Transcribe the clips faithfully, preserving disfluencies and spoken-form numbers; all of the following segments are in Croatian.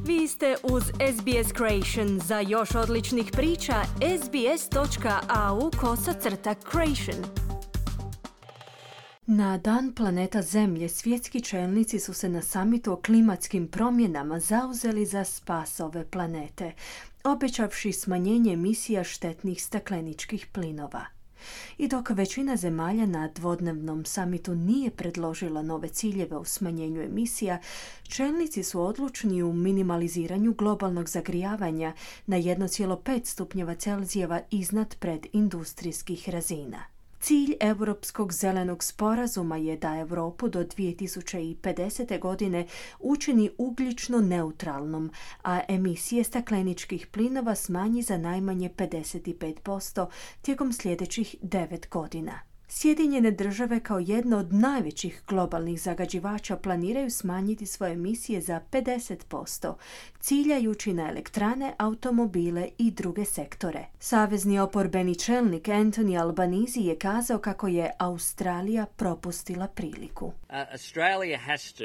Vi ste uz S B S Creation. Za još odličnih priča, sbs.au kosacrta creation. Na Dan planeta Zemlje svjetski čelnici su se na samitu o klimatskim promjenama zauzeli za spas ove planete, obećavši smanjenje emisija štetnih stakleničkih plinova. I dok većina zemalja na dvodnevnom samitu nije predložila nove ciljeve u smanjenju emisija, čelnici su odlučni u minimaliziranju globalnog zagrijavanja na jedan zarez pet stupnjeva Celzijeva iznad predindustrijskih razina. Cilj Europskog zelenog sporazuma je da Europu do dvije tisuće pedesete. godine učini ugljično neutralnom, a emisije stakleničkih plinova smanji za najmanje pedeset pet posto tijekom sljedećih devet godina. Sjedinjene države kao jedna od najvećih globalnih zagađivača planiraju smanjiti svoje emisije za pedeset posto, ciljajući na elektrane, automobile i druge sektore. Savezni oporbeni čelnik Anthony Albanese je kazao kako je Australija propustila priliku. Uh, Australia has to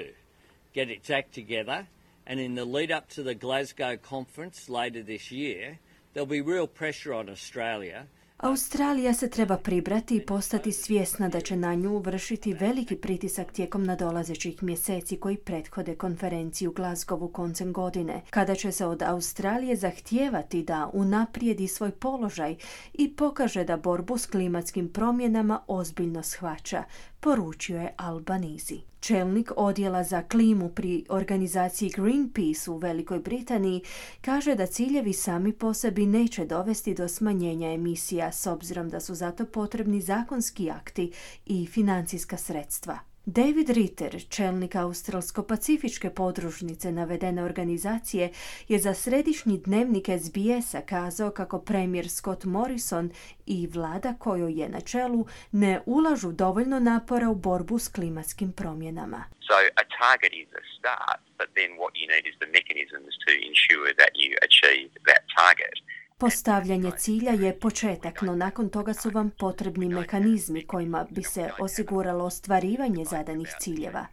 get its act together, and in the lead up to the Glasgow conference later this year, there'll be real pressure on Australia. Australija se treba pribrati i postati svjesna da će na nju vršiti veliki pritisak tijekom nadolazećih mjeseci koji prethode konferenciji u Glasgowu koncem godine, kada će se od Australije zahtijevati da unaprijedi svoj položaj i pokaže da borbu s klimatskim promjenama ozbiljno shvaća, poručio je Albanese. Čelnik odjela za klimu pri organizaciji Greenpeace u Velikoj Britaniji kaže da ciljevi sami po sebi neće dovesti do smanjenja emisija s obzirom da su zato potrebni zakonski akti i financijska sredstva. David Ritter, čelnik australsko-pacifičke podružnice navedene organizacije, je za središnji dnevnik S B S-a kazao kako premijer Scott Morrison i vlada kojoj je na čelu ne ulažu dovoljno napora u borbu s klimatskim promjenama. So a target is a start, but then what you need is the mechanisms to ensure that you achieve that target. Postavljanje cilja je početak, no nakon toga su vam potrebni mehanizmi kojima bi se osiguralo ostvarivanje zadanih ciljeva.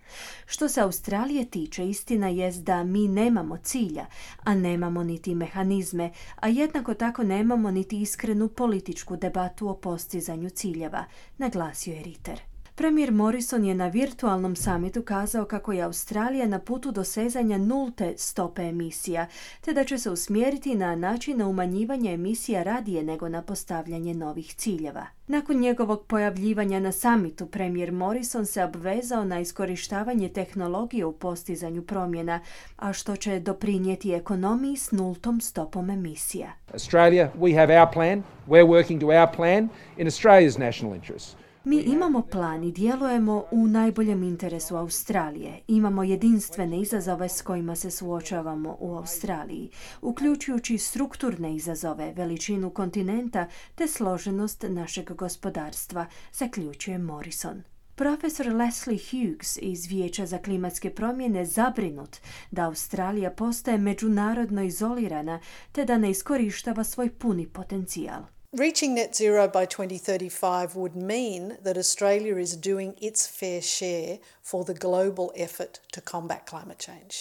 Što se Australije tiče, istina jest da mi nemamo cilja, a nemamo niti mehanizme, a jednako tako nemamo niti iskrenu političku debatu o postizanju ciljeva, naglasio je Ritter. Premijer Morrison je na virtualnom samitu kazao kako je Australija na putu dosezanja nulte stope emisija, te da će se usmjeriti na način na umanjivanje emisija radije nego na postavljanje novih ciljeva. Nakon njegovog pojavljivanja na samitu, premijer Morrison se obvezao na iskorištavanje tehnologije u postizanju promjena, a što će doprinijeti ekonomiji s nultom stopom emisija. Australia, we have our plan. We're working to our plan in Australia's national interest. Mi imamo plan i djelujemo u najboljem interesu Australije. Imamo jedinstvene izazove s kojima se suočavamo u Australiji, uključujući strukturne izazove, veličinu kontinenta te složenost našeg gospodarstva, zaključuje Morrison. Profesor Leslie Hughes iz Vijeća za klimatske promjene zabrinut da Australija postaje međunarodno izolirana te da ne iskorištava svoj puni potencijal. Reaching net zero by twenty thirty-five would mean that Australia is doing its fair share for the global effort to combat climate change.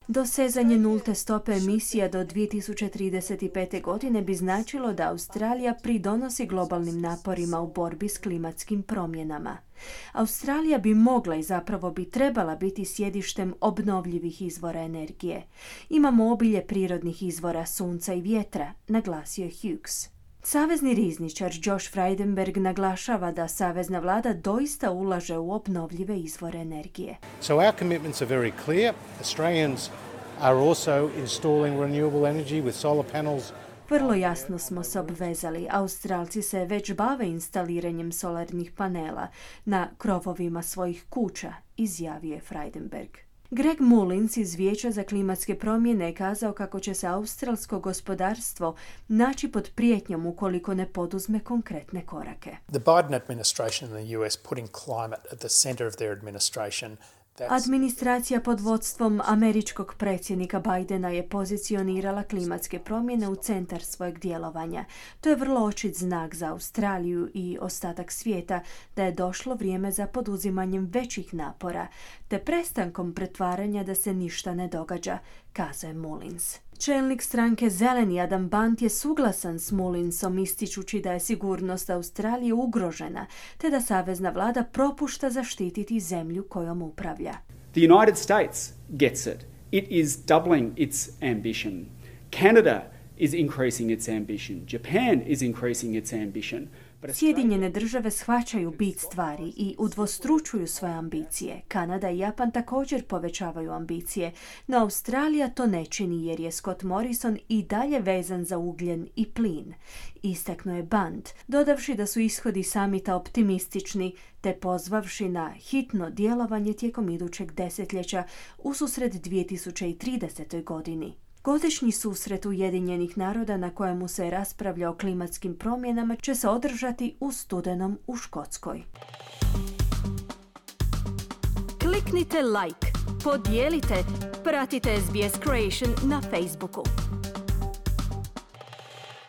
Dosezanje nulte stope emisija do dvije tisuće trideset pete. godine bi značilo da Australija pridonosi globalnim naporima u borbi s klimatskim promjenama. Australija bi mogla i zapravo bi trebala biti sjedištem obnovljivih izvora energije. Imamo obilje prirodnih izvora sunca i vjetra, naglasio je Hughes. Savezni rizničar Josh Frydenberg naglašava da savezna vlada doista ulaže u obnovljive izvore energije. So our commitments are very clear. Australians are also installing renewable energy with solar panels. Vrlo jasno smo se obvezali. Australci se već bave instaliranjem solarnih panela na krovovima svojih kuća, izjavio je Frydenberg. Greg Mullins iz Vijeća za klimatske promjene je kazao kako će se australsko gospodarstvo naći pod prijetnjom ukoliko ne poduzme konkretne korake. The Biden administration in the U S putting climate at the center of their administration, Administracija pod vodstvom američkog predsjednika Bidena je pozicionirala klimatske promjene u centar svojeg djelovanja. To je vrlo očit znak za Australiju i ostatak svijeta da je došlo vrijeme za poduzimanjem većih napora, te prestankom pretvaranja da se ništa ne događa, kazuje Mullins. Čelnik stranke Zeleni Adam Bant je suglasan s Mullinsom, ističući da je sigurnost Australije ugrožena, te da savezna vlada propušta zaštititi zemlju kojom upravlja. The United States gets it. It is doubling its ambition. Canada is increasing its ambition. Japan is increasing its ambition. Sjedinjene države shvaćaju bit stvari i udvostručuju svoje ambicije. Kanada i Japan također povećavaju ambicije, no Australija to ne čini jer je Scott Morrison i dalje vezan za ugljen i plin. Istaknuo je Bant, dodavši da su ishodi samita optimistični, te pozvavši na hitno djelovanje tijekom idućeg desetljeća ususret dvije tisuće tridesete. godini. Godišnji susret Ujedinjenih naroda na kojemu se raspravlja o klimatskim promjenama će se održati u studenom u Škotskoj. Kliknite like, podijelite, pratite S B S Creation na Facebooku.